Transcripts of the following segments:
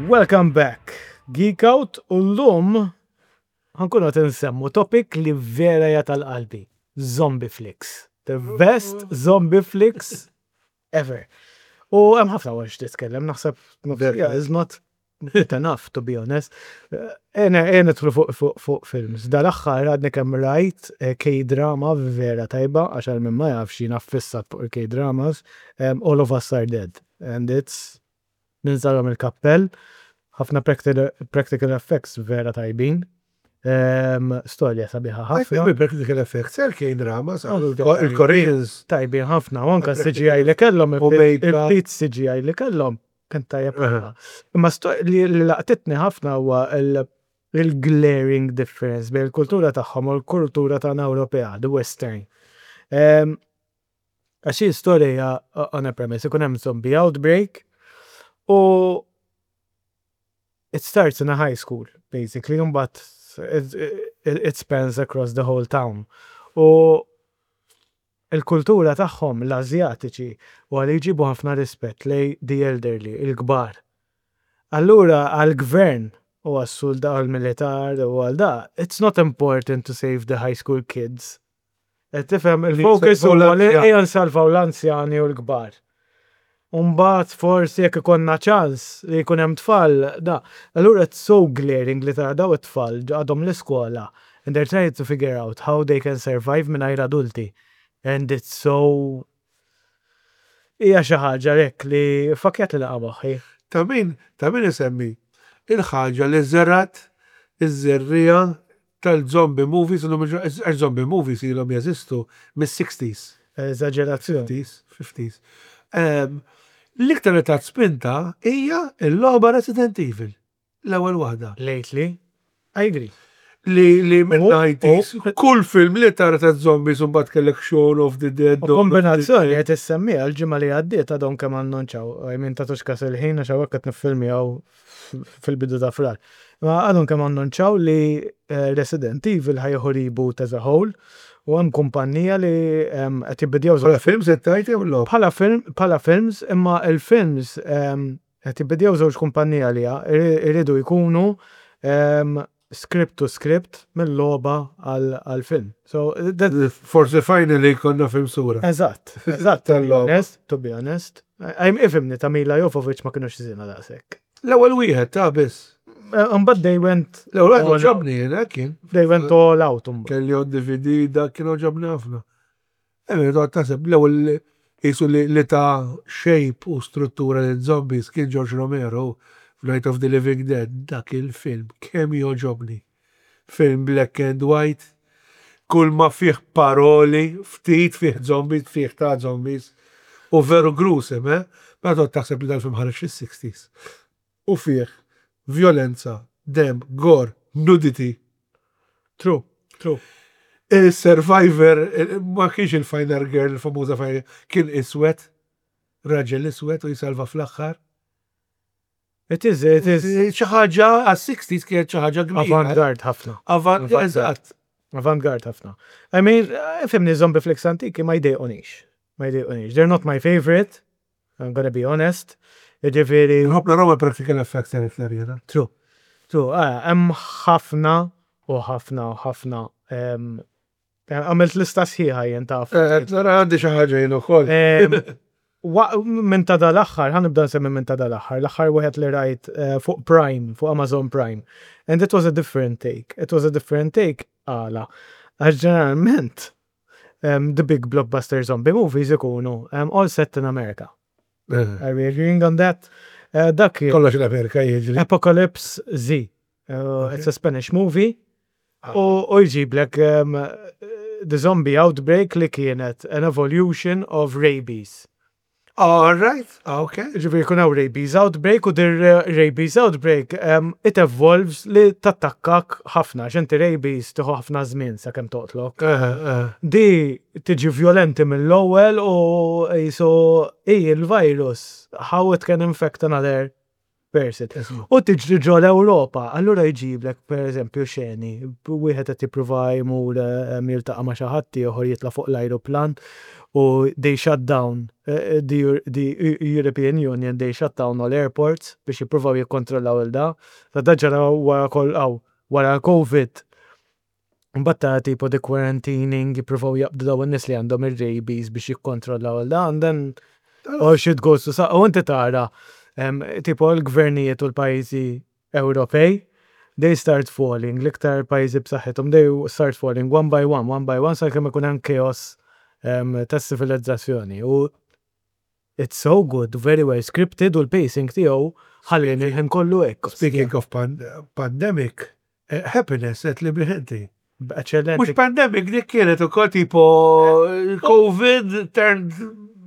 Welcome back, Geek Out, u llum ħa nkunu qed insemmu topic li vera hija tal-qalbi, zombie flicks. The best zombie flicks ever. U hemm ħafna għax titkellem, naħseb yeah, is not enough to be honest. Ena nidħlu fuq films. Dal-aħħar għadni kemm rajt K-drama vera tajba, għax għal min ma jafx jiena ffissat fuq il-K-dramas, All of Us Are Dead. And it's ninżalhom il-kappell, ħafna practical effects vera tajbin. Storja sabiħa ħafna. Practical effects, il-K-dramas, il-Koreans. Tajbin ħafna, u anka CGI li kellhom, il-ftit CGI li kellhom, kien tajjeb ħafna. Imma li laqtitni ħafna huwa il-glaring difference bejn il-kultura tagħhom u l-kultura tagħna Ewropea, the Western. Għax hi storja on a premise, ikun hemm zombie outbreak u it starts in a high school, basically, but it spans across the whole town. U il-kultura tagħhom, l-Azjatiċi, u għal jġibu ħafna rispett lejn the elderly, il-kbar. Allura għal-gvern u għas-suldat għal-militar u għal da, it's not important to save the high school kids. Qed tifhem il-focus huwa li ejja nsalvaw l-anzjani u l-kbar. Umbagħad forsi jekk ikollna ċans li jkun hemm tfal, da. Allura it's so glaring li tara daw it-tfal għadhom l-iskola and they're trying to figure out how they can survive mingħajr adulti. And it's so hija xi ħaġa hekk li fakjat li laqa' moħħi. Ta' min isemmi il-ħaġa li żerat iż-żerriegħa tal-zombie movies, għax zombie movies ilhom jeżistu mis-60s. Eżagerazzjoni. 50s, 50s. L-iktar li tat spinta hija l-logħba Resident Evil. L-ewwel waħda. Lately, I agree. Li minn 90s, kull film li tara ta' zombies un bat kellek Shaun of the Dead. U kombinazzjoni qed issemmiha l-ġimgħa li għaddiet għadhom kemm annunċaw. I mean tagħtux kas il-ħin għax hawnhekk qed niffilmjaw fil-bidu ta' Frar. Ma għadhom kemm annunċaw li Resident Evil ħa jieħu reboot as a whole u hemm kumpanija li qed jibbidjaw Bħala films qed tgħid jew logħob? Bħala film, bħala films, imma il-films qed jibbidjaw żewġ kumpanija li iridu jkunu script to script mill-logħba għal-film. So, that, Forsi finally konna film sura. Eżatt, to be Tal-logħba. honest, to be honest. I'm ifhimni ta' Milla Jovovich ma kienux żina daqshekk. L-ewwel wieħed ta' biss. But they went L-ewwel wieħed għoġobni jiena kien. They went all out. Mbagħad. Kelli on DVD dak kien għoġobni ħafna. Emmi, toqgħod taħseb l-ewwel jisu li ta' shape u struttura li zombies kien George Romero f'Night of the Living Dead, dak il-film kemm jogħġobni. Film black and white, kull ma fih paroli, ftit fih zombies, fih ta' zombies, u veru gruesome, eh? Ma toqgħod taħseb li dal-film ħareġ fis-60s. U fih violenza, dem, gore, nudity. True. Il-Survivor, ma kienx il-Final Girl, il-famuża Final Girl, kien iswed, raġel iswed u jisalva fl-aħħar. It is. Xi ħaġa għas-60s kienet xi ħaġa kbira. Avant-garde ħafna. Avant, eżatt. Avant-garde ħafna. I mean, ifhimni zombie flicks antiki ma jdejqunix. Ma jdejqunix. They're not my favorite. I'm gonna be honest. Ġifieri. Nħobb naraw practical effects jien iktar jiena. True. True. Ah, hemm ħafna u ħafna u ħafna. Għamilt lista sħiħa jien taf. Nara għandi xi ħaġa jien ukoll. Minn ta' dal-aħħar, ħa nibda nsemmi minn ta' dal-aħħar, l-aħħar wieħed li rajt fuq Prime, fuq Amazon Prime. And it was a different take. It was a different take għala. Għax ġeneralment, the big blockbuster zombie movies ikunu all set in America. Are we agreeing on that? Dak Kollox l-Amerika jiġri. Apocalypse Z. It's a Spanish movie. U jġiblek the zombie outbreak li kienet an evolution of rabies. All right, okay. Ġifieri jkun hawn rabies outbreak u dir rabies outbreak it evolves li tattakkak ħafna, għax inti rabies tieħu ħafna żmien sakemm toqtlok. Di tiġi violenti mill-ewwel u jisu i il-virus how it can infect another. person. U tiġri ġo l-Ewropa, allura jġiblek per eżempju xeni, wieħed qed jippruva jmur jiltaqa' ma' xi ħadd ieħor jitla' fuq l-ajruplan u they shut down the, the European Union, they shut down all airports biex jippruvaw jikkontrollaw il da. Ta' da ġara wara kol wara l-Covid. Mbagħad ta' tipo the quarantining, jippruvaw jaqbdu daw in-nies li għandhom ir-rabies biex jikkontrollaw il da, and then all shit goes to sa. U inti tara tipo l-gvernijiet u l-pajjiżi Ewropej, they start falling, l-iktar pajjiżi b'saħħithom, they start falling one by one, one by one, sakemm ikun hemm chaos tas-civilizzazzjoni. U it's so good, very well scripted u l-pacing tiegħu ħallini l-ħin kollu hekk. Speaking of pandemic, Happiness qed li bih inti. Eccellenti. Mhux pandemic dik kienet ukoll tipo COVID turned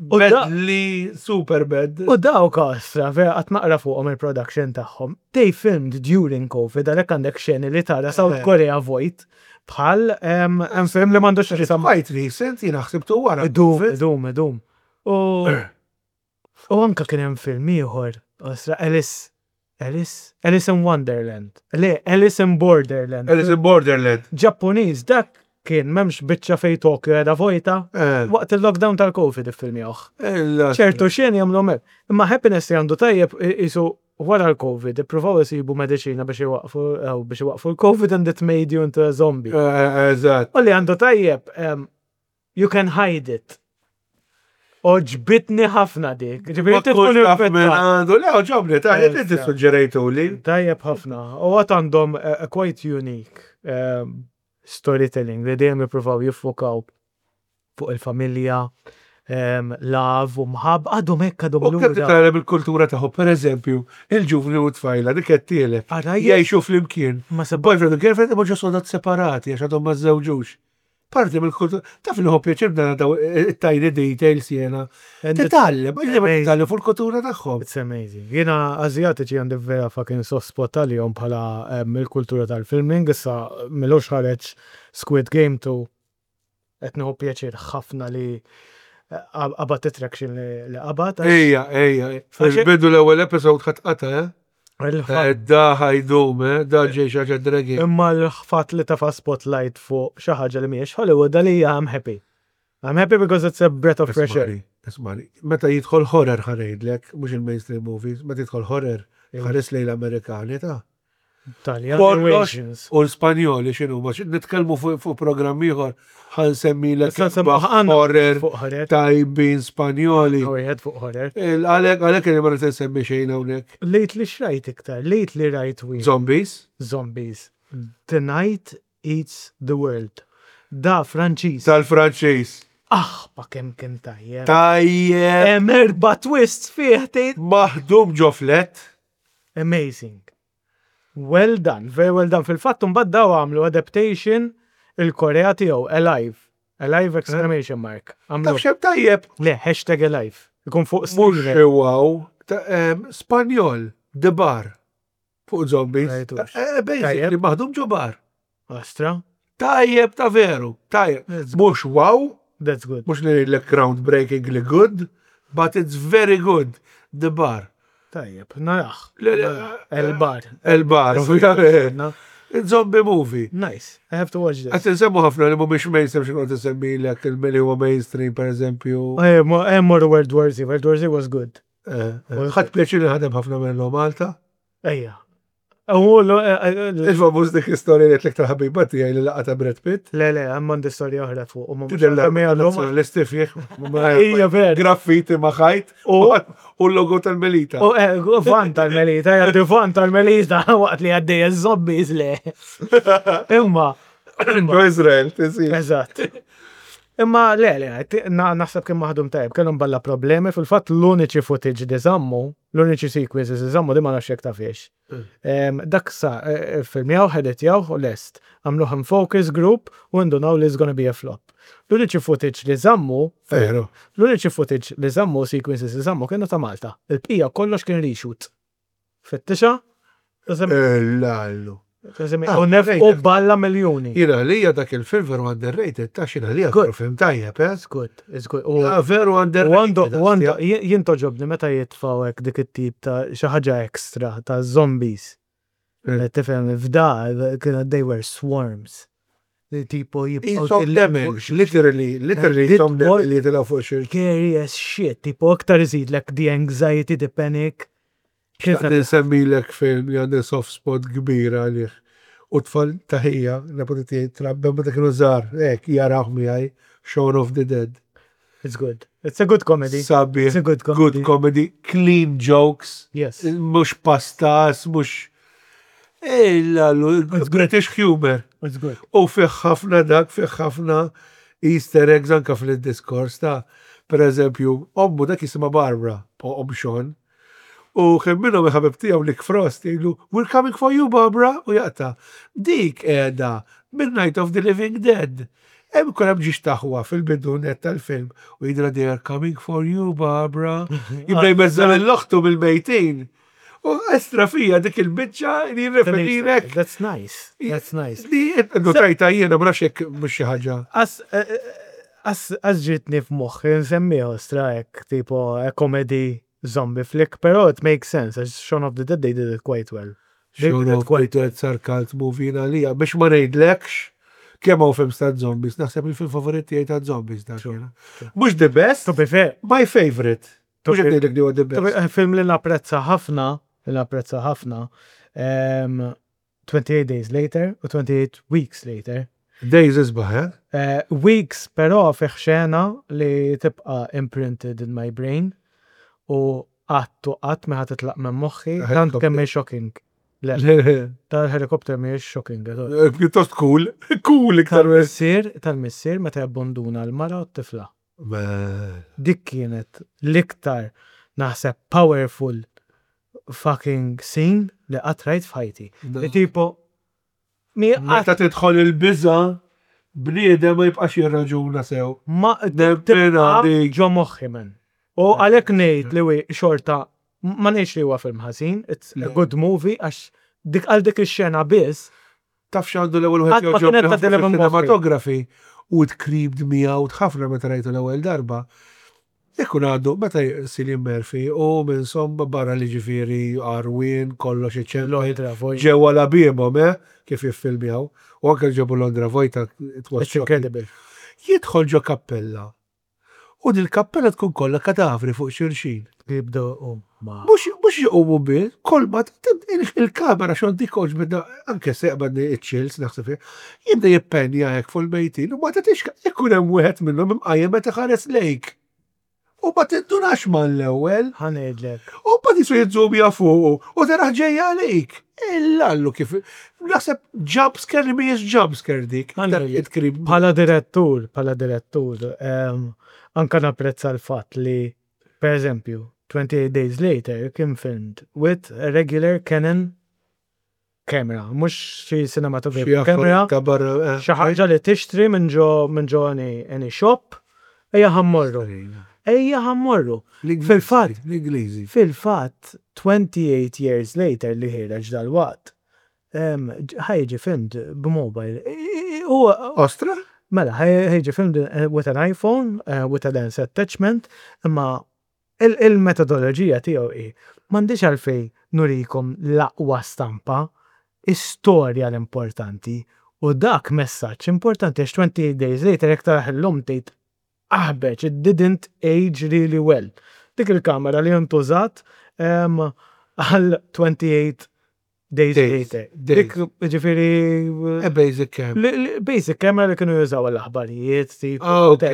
badly super bad. U dawk ostra, vera qatt naqra fuqhom il-production tagħhom. They filmed during COVID, għalhekk għandek xeni li tara South Korea vojt bħal hemm film li m'għandux x'jaqsam. Quite recent, jiena ħsibtu wara. Idum, idum, idum. U anka kien hemm film ieħor, ostra, Alice, Alice? Alice in Wonderland. Le, Alice in Borderland. Alice in Borderland. Ġappuniż, dak kien m'hemmx biċċa fej Tokyo qiegħda vojta. Waqt il-lockdown tal-Covid iffilmjawh. Ċertu xeni jagħmluhom hekk. Imma Happiness li għandu tajjeb qisu wara l-Covid ippruvaw isibu mediċina biex iwaqqfu biex iwaqqfu l-Covid and it made you into a zombie. Eżatt. U li għandu tajjeb You can hide it. Oġbitni ħafna dik. Ġifieri inti tkun għandu, le oġobni, ta' inti suġġerejtu li. Tajjeb ħafna. U għat għandhom quite unique storytelling li dejjem jippruvaw jiffokaw fuq il-familja, love u mħab, għadhom hekk għadhom. U kemm titgħallem il-kultura tagħhom, pereżempju, il-ġuvni u t-tfajla dik qed tielef. Jgħixu flimkien. Boyfriend u girlfriend imma ġo sodat separati għax għadhom ma żżewġux. Parti mill-kultura, taf li nħobb pjaċir nara daw it-tiny details jiena. Titgħallem, titgħallem fuq il-kultura tagħhom. It's amazing. Jiena Asjatiċi għandi vera fucking soft spot għalihom bħala il-kultura tal-filming, issa m'ilux ħareġ Squid Game 2 qed nieħu pjaċir ħafna li qabad it-traction li qabad. Ejja, ejja, fil-bidu l-ewwel episode ħadd qata', eh? Da ħajdum, eh? Da ġej xi ħaġa dragi. Imma l-fatt li tafa spotlight fuq xi ħaġa li mhijiex Hollywood għalija I'm happy. I'm happy because it's a breath of fresh air. Ismani, meta jidħol horror ħa ngħidlek, mhux il-mainstream movies, meta jidħol horror, ħares lejn l-Amerikani ta' Taljan Kollox u l-Spanjoli x'inhuma, nitkellmu fuq programm ieħor ħa nsemmilek horror tajbin Spanjoli. Wieħed fuq horror. Għalhekk għalhekk li ma rrid insemmi xejn hawnhekk. Lately x'rajt iktar? Lately rajt wieħed. Zombies? Zombies. The Night Eats the World. Da Franċiż. Tal-Franċiż. Aħ, pa kemm kien tajjeb. Tajjeb. Hemm erba' twists fih tgħid. Maħdum ġo flet. Amazing. Well done, very well done. Fil-fatt imbagħad daw għamlu adaptation il-Korea tiegħu, Alive. Alive exclamation mark. Taf xemm tajjeb? Le, hashtag Alive. Ikun fuq Mhux wow, Spanjol, The Bar. Fuq zombies. Basically, maħdum ġo bar. Astra. Tajjeb ta' veru, tajjeb. Mhux wow. That's good. Mhux li ngħidlek groundbreakingly good, but it's very good. The Bar. Tajjeb, narah. El Bar. El Bar, ovvjament. Zombie movie. Nice, I have to watch this. Qed insemmu ħafna li mhumiex mainstream xi noqgħod insemmilek il-li huwa mainstream pereżempju. Hemm morru World War Z, World War Z was good. Ħadt pjaċir li ħadem ħafna minnhom Malta. Ejja. Il-famuż dik istorja li għetlek tal-ħabiba tiegħi li laqgħa ta' Brad Pitt. Le, le, hemm għandi storja oħra fuq. u ma mhux Tidher għandha miegħu l-lum. Nazzjonalisti fih. Ija vera. Graffiti ma' ħajt u l-logo tal-Melita. U van tal-Melita, jgħaddi van tal-Melita waqt li għaddej iż-zombies le. Imma. Ġo Izrael, tisir. Eżatt. Imma le, le, naħseb kien maħdum tajjeb, kellhom balla problemi, fil-fatt l-uniċi footage li żammu, l-uniċi sequences li żammu di ma nafx jekk tafhiex. Dak sa ffilmjaw, editjawh u lest. Għamluh in focus group u indunaw li it's gonna be a flop. L-uniċi footage li żammu, l-uniċi footage li żammu, sequences li żammu kienu ta' Malta. Il-bqija kollox kien reshoot. Fittixha? Illallu. Ah, U nefqu balla miljuni. Jiena għalija dak il-film veru underrated, ta' xina għalija veru film tajjeb, eh? It's good, it's good. U ah, veru underrated. U għandu, jien toġobni meta jitfgħu hekk dik it-tip ta' xi ħaġa extra ta' zombies. Eh. Tifhem, f'da kienu they were swarms. Tipo jibqgħu. Damage, literally, literally, li jitilgħu fuq xi. Scary as shit, tipo aktar iżidlek the anxiety, the panic. Xtaqt insemmilek film li għandi soft spot kbir għalih. U tfal ta' ħija, nepoti tiegħi trabbew meta kienu żgħar, hekk jarawh miegħi, Shaun of the Dead. It's good. It's a good comedy. Sabiħ. It's a good comedy. Good comedy. Clean jokes. Yes. Mhux pastas, mhux British humor. It's good. U fih ħafna dak, fih ħafna Easter eggs anka fil-diskors ta' per eżempju, ommu dak jisimha Barbara, omm Shaun. U kien minnhom il-ħabib tiegħu Nick Frost jgħidlu, We're coming for you, Barbara, u jaqta'. Dik qiegħda minn Night of the Living Dead. Hemm ikun hemm ġiex taħwa fil-bidu net tal-film u jgħidilha they are coming for you, Barbara. Jibda jbeżża' lil oħtu mill-mejtin. U estra fija dik il-biċċa li jirreferilek. That's nice. That's nice. Li notajta jiena ma nafx jekk mhux xi ħaġa. As ġietni f'moħħi nsemmiha ostra hekk tipo a comedy zombie flick, però it makes sense, għax Shaun of the Dead they did it quite well. Shaun of the Dead sar cult movie għalija, biex ma ngħidlekx kemm hawn films ta' zombies, naħseb il-film favorit tiegħi ta' zombies dak. Mhux the best, To be fair. My favorite. Mhux qed ngħidlek li huwa the best. Film li napprezza ħafna, li napprezza ħafna, 28 Days Later u 28 Weeks Later. Days isbaħ, eh? eh? Weeks, però fih xena li tibqa' imprinted in my brain u qatt u qatt ma titlaq minn moħħi, tant kemm hi shocking. Le, tal-helikopter mhijiex shocking. Eh, pjuttost cool, cool iktar. Tal-missier, tal-missier meta jabbonduna l-mara u t-tifla. Dik kienet l-iktar naħseb powerful fucking scene li qatt rajt f'ħajti. Li tipo mi Meta tidħol il-biża, bniedem ma jibqax jirraġuna sew. Ma tibqa' ġo moħħi man. U għalhekk ngħid li xorta ma ngħidx li huwa film ħażin, it's a good movie għax dik għal dik ix-xena biss Taf x'għandu l-ewwel wieħed jogħġobni ħafna fis-cinematography u it creeped me out ħafna meta rajtu l-ewwel darba. Ikun għadu meta Cillian Murphy u minn somma barra li ġifieri għarwien kollox iċempel ġewwa labiemhom eh kif jiffilmjaw u anke ġabu Londra vojta it was shocking. Jidħol ġo kappella U dil-kappella tkun kollha kadavri fuq xulxin. Jibdew iqumu. Mhux mhux iqumu biss, kull ma il-kamera xogħol dik għoġbitna anke se jaqbadni ċ-chills naħseb fiha. Jibda jippenja hekk fuq il-mejtin u ma tagħtix ikun hemm wieħed minnhom imqajjem qed iħares lejk. U ma tindunax mal-ewwel. Ħa ngħidlek. U mbagħad jisu jizzumja fuqu u taraħ ġejja għalik. Illallu kif naħseb jump scare li mhijiex jump scare dik. Bħala direttur, bħala direttur, anka napprezza l-fatt li per eżempju 28 Days Later kien filmed with a regular Canon camera, mhux xi cinematography camera, eh. xi ħaġa li tixtri minn ġo minn ġo any, any shop, ejja ħa mmorru. Ejja ħa mmorru. Fil-fatt, L-Ingliżi. Fil-fatt, 28 years later li ħiereġ dalwaqt, ħa jiġi filmed b'mobile. Ostra? Mela, ħa jiġi filmed with an iPhone, with a lens attachment, imma il-metodoloġija tiegħu hi, m'għandix għalfejn nurikom l-aqwa stampa, istorja l-importanti. U dak messaġġ importanti għax 28 days later jekk tarah illum tgħid Aħbeġ, it didn't age really well. Dik il-kamera li intużat għal 28 days later. Dik, ġifieri. A basic camera. Basic camera li kienu jużaw għall-aħbarijiet, tipo. Ah, ok.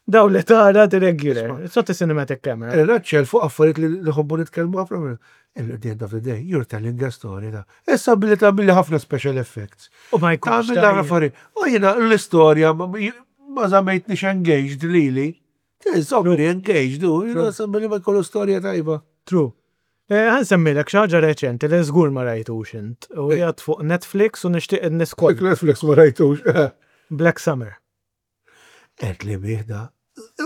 Daw li tara the regular. It's not a cinematic camera. Raċċel fuq affarijiet li nħobbu nitkellmu ħafna. At the end of the day, you're telling a story ta' Issa billi tagħmilli ħafna special effects. U ma jkunx. Tagħmel ħafna affarijiet. U jiena l-istorja ma żammejtnix engaged lili. Żommni engaged, u jiena billi ma jkollu storja tajba. True. Eh, ħa nsemmilek xi ħaġa reċenti li żgur ma rajtux int. U qiegħed fuq Netflix u nixtieq in-nies kollha. Netflix ma rajtux. Black Summer. Qed li bih da.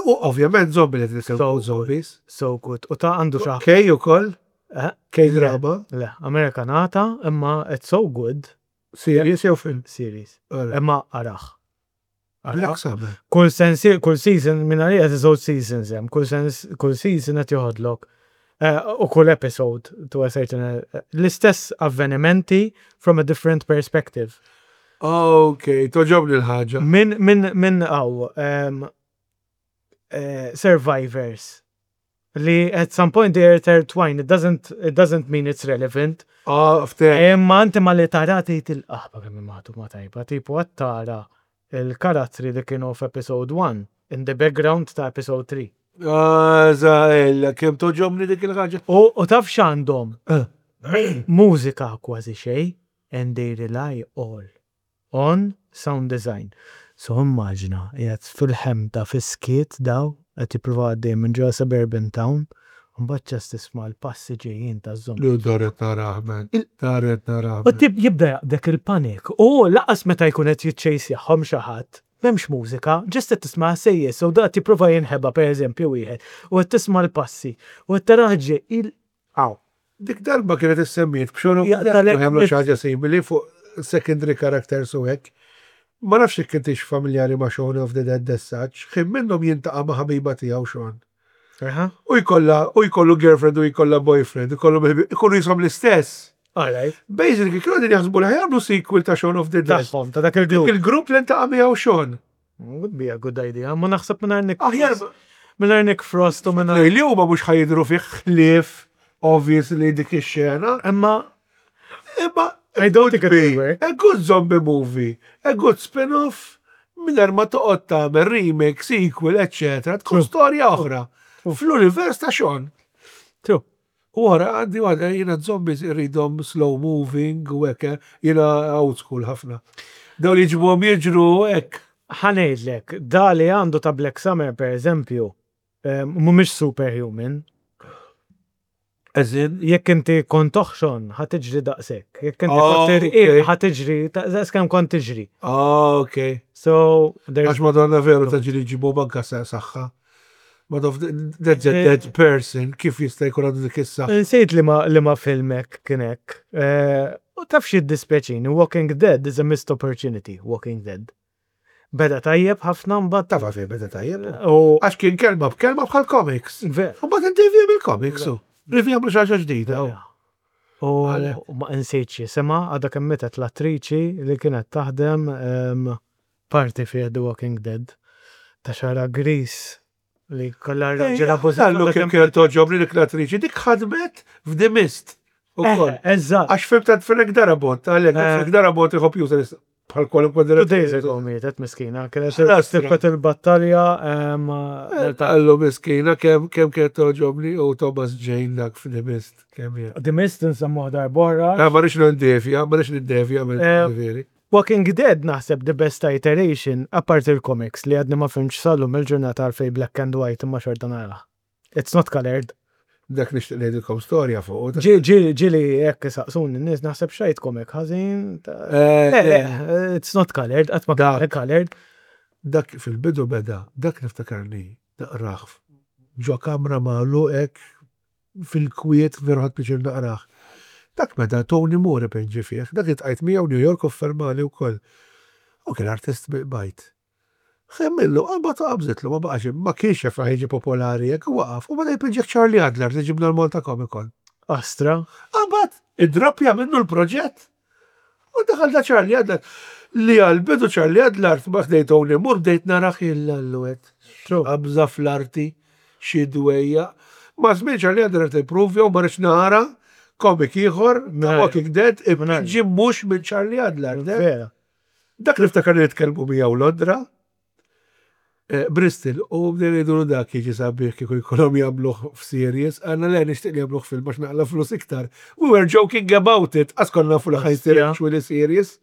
U ovvjament zombi li titkellmu zombies. So good. U ta' għandu xi Kej ukoll? K-drama? Le, Amerikanata, imma it's so good. Series jew film? Series. Imma arah. Black Summer. Kull sensi, kull season, minn għalija żewġ seasons hemm, kull sens, kull season qed joħodlok u kull episode to a certain l-istess avvenimenti from a different perspective. Ok, togħġobni l-ħaġa. Min hawn survivors li at some point they are intertwined. It doesn't mean it's relevant. Ah, fte. Imma inti ma li tara tgħid il-qaħba kemm maħduma tajba, tipo qed tara il-karattri li kienu f'episode 1 in the background ta' episode 3. Ah, zaħella, kemm togħġobni dik il-ħaġa. U taf x'għandhom? Mużika kważi xejn and they rely all on sound design. So immaġina, qiegħed fil-ħemda fis-skiet daw, qed jippruvaw għaddej minn ġewwa suburban town, u mbagħad just tisma' l-passi ġejjin ta' zombie. Lu daret narah, man. Daret narah. U tib jibda jaqbdek il-panik. U lanqas meta jkun qed jiċċejsjaħħom xi ħadd, m'hemmx mużika, just qed tisma' sejjes, u da tipprova jinħeba pereżempju wieħed, u qed tisma' l-passi, u qed taraħ ġej il Aw. Dik darba kienet issemmiet b'xonu jagħmlu xi ħaġa simili fuq secondary characters u hekk. Ma nafx jekk intix familjari ma' Shaun of the Dead as such, ħin minnhom jintaqa' ma' ħabiba tiegħu Shaun. U jkollha u jkollu girlfriend u jkollha boyfriend, ikollu ikunu jisom l-istess. Alright. Basically, kienu qegħdin jaħsbu li jagħmlu sequel ta' Shaun of the Dead. Tagħhom, ta' dak il-grupp. Il-grupp li ntaqa' miegħu Shaun. Would be a good idea. Ma naħseb mingħajr Nick. Aħjar Mingħajr Nick Frost u mingħajr. Li huma mhux ħa jidhru fih ħlief obviously dik ix-xena. Imma Imma I don't think it be will work. A good zombie movie, a good spin-off, mingħajr ma toqgħod tagħmel remake, sequel, eccetera, tkun storja oħra. Fl-univers ta' Shaun. True. U wara għandi għada jiena zombies irridhom slow moving u hekk, jiena old school ħafna. Daw li jġibuhom jiġru hekk. Ħa ngħidlek, da li għandu ta' Black Summer per eżempju, mhumiex superhuman. As in? Jekk inti kont toħxon, ħa tiġri daqshekk. Jekk inti Oh, kont irqiq, okay. ħa tiġri daqs kemm kont tiġri. Ah, ok. So, there's Għax madonna veru ta' ġiri ġibu banka saħħa. But that's a dead person, kif jista' jkun għandu dik is-saħħa? Nsejt li ma filmek kien hekk. U taf xi dispjaċini, Walking Dead is a missed opportunity, Walking Dead. Beda tajjeb ħafna mbagħad. Tafa fejn beda tajjeb. U Għax kien kelma b'kelma bħal comics. Ver. U mbagħad indevja mill-comics u. Rivi jagħmlu xi ħaġa ġdida. U Għale. u ma nsejtx jisimha, għadha kemm mietet l-attriċi li kienet taħdem parti fi The Walking Dead ta' xagħarha griż li kollha raġel abbużat. Allu kien kien togħġobni dik l-attriċi, dik ħadmet f'The Mist. Ukoll. Eżatt. Għax film ta' Frank Darabont, għalek, Frank Darabont iħobb juża bħal kwalunkwe 2 days ago mietet miskina, kienet Lastra. tibqet il-battalja Allu miskina, kemm kienet togħġobni u Thomas Jane dak f'The Mist, kemm hija. The Mist nsemmuh darb'oħra. Ah, ma rridx nindevja, ma rridx nindevja, ma veri. Walking Dead naħseb the best iteration, apart il-comics li għadni ma fhimtx sal-lum il-ġurnata għalfej black and white imma xorta nara. It's not colored. Dak nixtieq ngħidilkom storja fuq. Ġieli jekk saqsuni n-nies naħseb xtrajt comic ħażin. Le, le, it's not colored, qatt ma Dak. colored. Dak fil-bidu beda, dak niftakarni naqrah ġo kamra magħluq hekk fil-kwiet veru ħadt pjaċir naqrah. Dak meta Tony Moore pinġi fih, dak iltqajt miegħu New York u fermali wkoll. U kien artist bil-bajt. Xemmillu, għalba ta' qabżitlu, ma baqax, ma kienx jaf jiġi popolari jekk waqaf, u bada jpinġi Charlie Adler li ġibna l-Malta Comic Con. Astra. Għabat, id-droppja minnu l-proġett. U daħal da Charlie Adler. Li għal-bidu Charlie Adler, ma ħdejt Tony Moore, bdejt naraħ il-alluet. True. Qabża fl-arti, xi dwejja. Ma żmien Charlie Adler tipprovja u ma rridx nara comic ieħor ta' Walking Dead ġi mhux minn Charlie Adler. Vera. Dak niftakar li nitkellmu miegħu Londra, Bristol, u bdejna ngħidu dak jiġi sabiħ kieku jkollhom jagħmluh f'series, għandna le nixtieq li jagħmluh film għax naqla flus iktar. We were joking about it, għax konna nafu li ħa jsir actually series,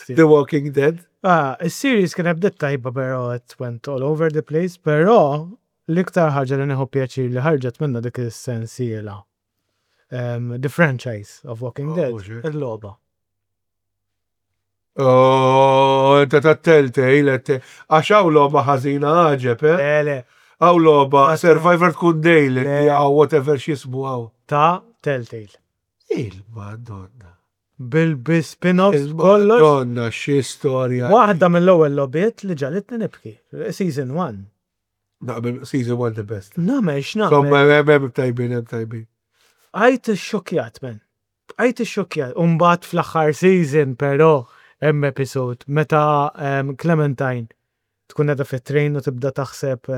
The Walking Dead. Ah, il-series kien bdiet tajba però it went all over the place, però l-iktar ħaġa li nieħu pjaċir li ħarġet minna dik is-sensiela. The franchise of Walking Oh, Dead, mhux hekk. il-logħba. Oh, inta ta' Telltale, għax hawn logħba ħażina għaġeb, eh? Le, le, Hawn logħba Survivor tkun daily, Le. għaw whatever x'jismu hawn. Ta' Telltale. Il-Madonna. Bil-spin-offs kollox. Il-Madonna, xi storja. Waħda mill-ewwel logħbiet li ġagħlitni nibki. Season 1. Naqbel season 1 the best. Nagħmel x'nagħmel. Insomma, hemm tajbin, hemm tajbin. Għajt xokjat, men. Għajt xokjat. Umbagħad fl-aħħar season, però, hemm episode meta Clementine tkun qiegħda fit-train u tibda taħseb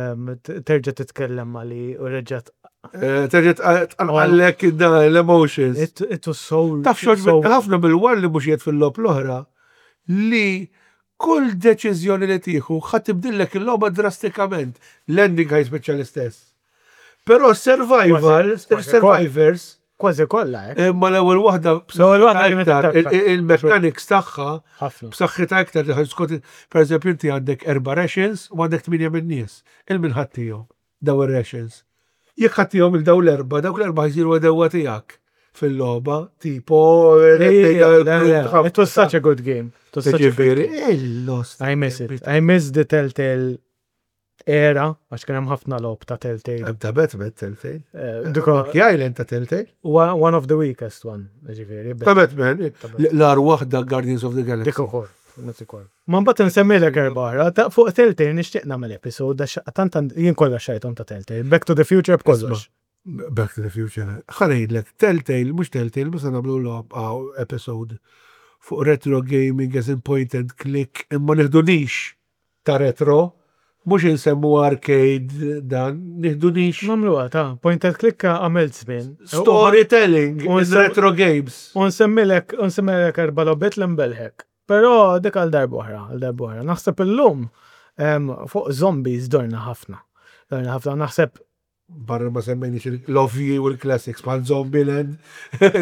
terġa' titkellem mali u reġgħet. Terġa' tqanqallek l-emotions. It was so. Taf xogħol ħafna bil-war li mhux fil-logħob l-oħra li kull deċiżjoni li tieħu ħa tibdillek il-logħba drastikament. L-ending ħa jispiċċa l-istess. Però survival, survivors, Kważi kollha, eh? Ma l-ewwel waħda L-ewwel waħda kienet iktar, iktar. il-mechanics tagħha Ħafna. b'saħħitha iktar skont per eżempju inti għandek erba' rations u għandek tminja minn nies. Il-min ħa ttihom daw ir-rations. Jekk ħa ttihom il daw l-erba', dawk l-erba' jsiru għedewwa tiegħek fil-logħba, tipo It was such a good game. It was such a good Ġifieri, game. il-lost. I miss it. I miss the Telltale era, għax kien hemm ħafna logħob ta' Telltale. Ta' Batman Telltale. Diko, Monkey Island ta' Telltale. one of the weakest one, ġifieri. Ta' Batman, l-agħar waħda Guardians of the Galaxy. Dik ukoll, dik ukoll. Ma mbagħad nsemmilek erba' oħra, ta' fuq Telltale nixtieq nagħmel episode għax tant jien kollha xtrajthom ta' Telltale. Back to the Future b'kollox. Back to the Future. Ħa ngħidlek, Telltale, mhux Telltale, mhux se nagħmlu logħob episode fuq retro gaming as in point and click, imma nieħdu niche ta' retro, mhux insemmu arcade dan, nieħdu niche. Nagħmluha ta' point and click għamilt żmien. Storytelling in retro games. U nsemmilek erba' logħbiet li nbelħek. Però dik għal darb'oħra, għal darb'oħra. Naħseb illum fuq zombies dorna ħafna. Dorna ħafna, naħseb Barra ma semmejniex l-ovvji u l-classics bħal Zombieland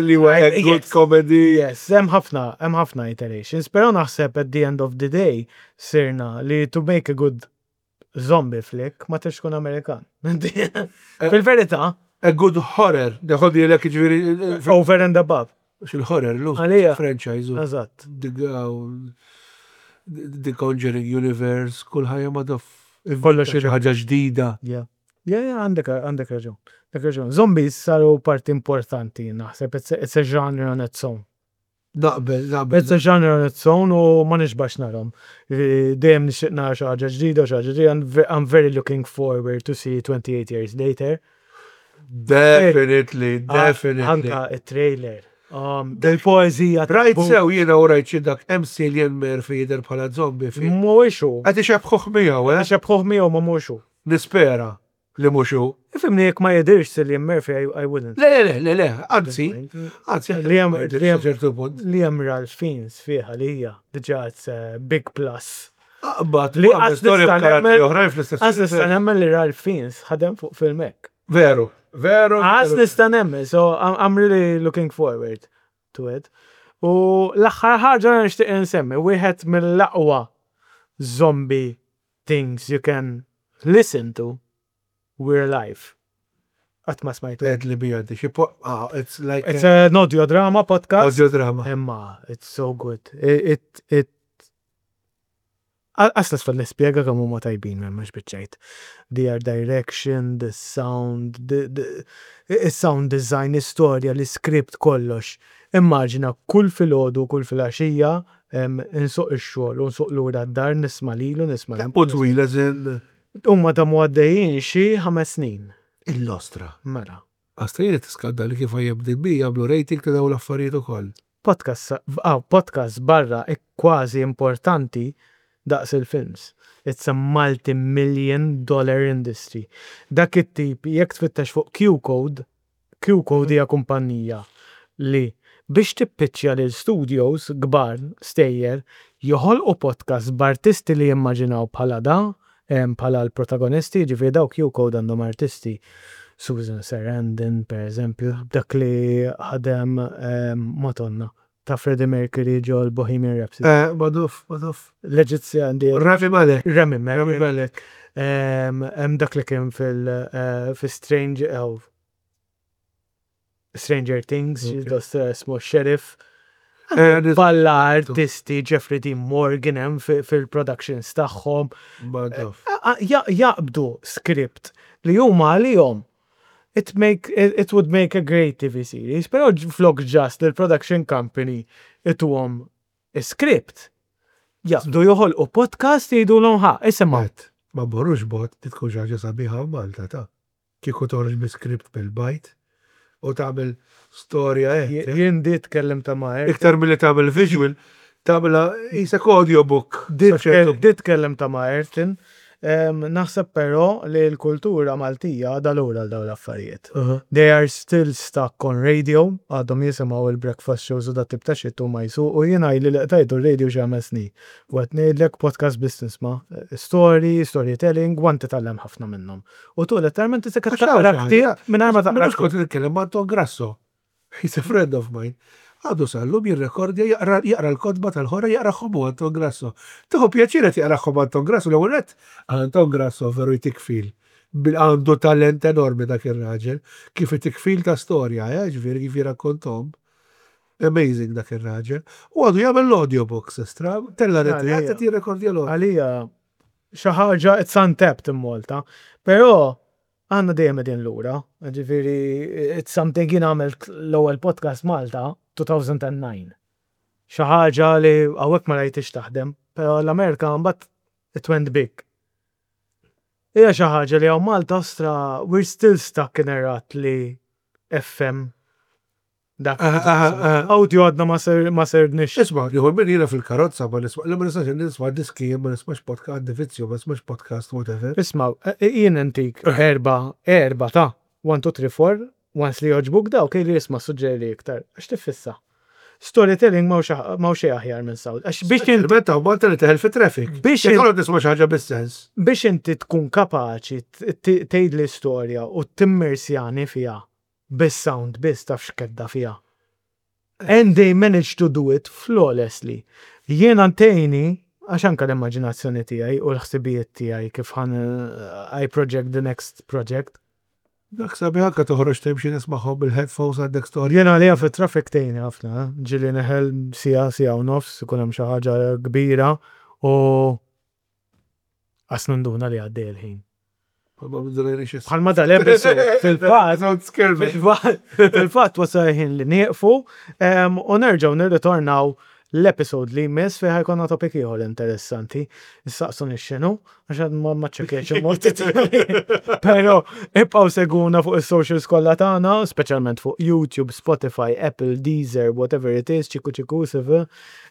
li huwa good comedy. Yes, hemm ħafna iterations, però naħseb at the end of the day sirna li to make a good zombie flick ma tridx tkun Amerikan. Fil-verità. A good horror, neħoddi l ġifieri. Over and above. Il-horror, l Għalija. franchise. Eżatt. The Conjuring Universe, kull ħajja ma dof. Kollox xi ħaġa ġdida. Yeah, għandek raġun. Għandek raġun. Zombies saru parti importanti, naħseb. It's a genre on its own. Naqbel, naqbel. It's a genre on its own u ma nixbax narahom. Dejjem nixtieq nara xi ħaġa ġdida, xi ħaġa ġdida. I'm very looking forward to see 28 Years Later. Definitely, definitely. Anka it-trailer. Del-poezija. Rajt sew jiena u rajt xi dak hemm Cillian Murphy jidher bħala zombie fi. Mhuwiex hu. Qed ixebbħuh miegħu, eh? Ixebbħuh miegħu ma mhux hu. Nispera li mhux hu. Ifhimni jekk ma jidirx Cillian Murphy, I wouldn't. Le, le, le, le, anzi, anzi, Li hemm li hemm ċertu punt. li hemm Ralph Fiennes fiha li hija diġà it's a big plus. Aqbad, Li li storja b'karattri oħrajn fl-istess. Għax nista' nemmen li Ralph Fiennes ħadem fuq film hekk. Veru, veru. Għax nista' nemmen, so I'm really looking forward to it. U l-aħħar ħaġa li nixtieq insemmi, wieħed mill-aqwa zombie things you can listen to, We're Alive. Qatt ma smajtu. Għed li bija xi ah, it's like It's an audio drama podcast. audio drama. Imma, it's so good. It Għaslas fal nispjega kemm huma tajbin minn mhux biċċejt. The art direction, the sound, the sound design, istorja, l-script, kollox. Immaġina kull filgħodu, kull filgħaxija, insuq ix-xogħol u nsuq lura d-dar nisma' lilu, nisma' U twil as in Huma damu għaddejjin xi 5 snin. Il-lostra. Mela. Għastajni tiskandali kif IMDb jagħmlu rating ta' dawn l-affarijiet ukoll. Podcast, ah, podcast barra kważi importanti daqs il-films. It's a multi-million dollar industry. Dak it-tip, jekk tfittex fuq Q-Code, Q-Code hija kumpanija li biex tippiċċja lil studios kbar stejjer joħolqu podcast b'artisti li jimmaġinaw bħala da, bħala l-protagonisti, ġifieri daw Q-Code għandhom artisti. Susan Sarandon, per eżempju, dak li ħadem Madonna ta' Freddie Mercury ġo l-Bohemian Rhapsody. Maduf, maduf. L-Eġizzjan di. Rami Malek. Rami Malek. Rami Malek. Hemm dak li kien fil fi Strange oh, Stranger Things, dos ismu Sheriff. Balla artisti Jeffrey Dean Morgan hemm fil-productions tagħhom. Maduf. Jaqbdu script li huma għalihom. It would make a great TV series, però flok just l-production company ituhom script. Jaqbdu joħolqu podcast, jgħidulhom, "Ħa, isimgħu." Ma mmorrux bogħod, tkun xi ħaġa sabiħa Malta ta' kieku toħroġ bi script bil-bajt u tagħmel storja hekk. Jien di tkellem ta' ma' Iktar milli tagħmel visual, tagħmilha qisek audiobook. Di tkellem ta' ma' Ayrton. Naħseb però li l-kultura Maltija għadha lura għal dawn l-affarijiet. They are still stuck on radio, għadhom jisimgħu il-breakfast shows u dat tip ta' shit u ma jsuqu. Jiena ili li qtajtu r-radio xi 5 snin. U qed ngħidlek, podcast business ma' story, storytelling, u titgħallem ħafna minnhom. U tu letteralment tisek taqra ktieb mingħajr ma taqra. Mhux kont nitkellem ma' Anton Grasso. He's a friend of mine. Għadu sal-lum jirrekordja, jaqra l-kotba tal-ħora, jaqrahom u Anton Grasso. Tieħu pjaċir qed jaqrahom Anton Grasso, l-ewwel nett Anton Grasso veru jtik feel. Għandu talent enormi dak ir-raġel, kif itik feel ta' storja, ġifieri kif jirakkontom. Amazing dak ir-raġel. U għadu jagħmel l-audiobooks estra, tella qed jirrekordja l Għalija xi ħaġa it's untapped in Malta. Però għandna dejjem qegħdin lura. Ġifieri it's something, jien għamilt l-ewwel podcast Malta 2009. Xi ħaġa li hawnhekk ma rajtix taħdem, però l-Amerika mbagħad it went big. Hija xi ħaġa li hawn Malta ostra we're still stuck in a rut li FM dak audio għadna ma sirniex. Isma', nieħu minn jiena fil-karozza ma nisma', li ma nistax nisma' diski, ma nismax podcast, għandi vizzju, ma nismax podcast, whatever. Isma', jien intik erba, erba ta' 1, 2, 3, 4, once li joġbuk dawk, li jisma' suġġeri iktar, għax tiffissa. Storytelling m'hawn xejn aħjar minn sound. Għax biex inti Meta u Malta li teħel fi traffic. Biex Jekk għodod nisma' xi ħaġa bis-sens. Biex inti tkun kapaċi tgħid l-istorja u timmersjani fiha bis-sound biss, taf x'kedda fiha. And they managed to do it flawlessly. Jiena ntejni, għax anka l-immaġinazzjoni tiegħi u l-ħsibijiet tiegħi kif ħan I project the next project. Dak sabiħ anka toħroġ timxi nismagħhom bil-headphones, għandek storja. Jiena għalija fit-traffic tgħinni ħafna, eh? Ġieli neħel siegħa, siegħa u nofs, ikun hemm xi ħaġa kbira u qas ninduna li għaddej il-ħin. Bħalma dal-episode, fil-fatt, Don't scare me. Fil-fatt wasal ħin li nieqfu u nerġgħu nirritornaw l-episode li jmiss fejn ħa jkollna topic ieħor interessanti. Issaqsuni x'inhu, għax għad ma ċċekkjajtx il-mod. Però ibqgħu segwuna fuq is-socials kollha tagħna, speċjalment fuq YouTube, Spotify, Apple, Deezer, whatever it is, ċiku ċiku sev.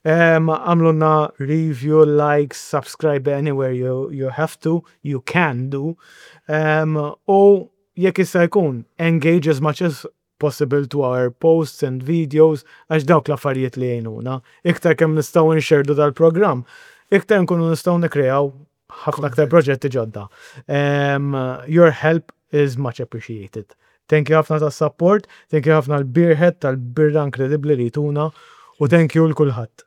Għamlulna review, likes, subscribe anywhere you have to, you can do. U jekk jista' jkun, engage as much as possible to our posts and videos, għax dawk l-affarijiet li jgħinuna. Iktar kemm nistgħu nxerdu dal-programm, iktar nkunu nistgħu nikreaw ħafna aktar proġetti ġodda. Your help is much appreciated. Thank you ħafna tas-support, thank you ħafna l-Beerhead tal-birra inkredibli li tuna u thank you lil kulħadd.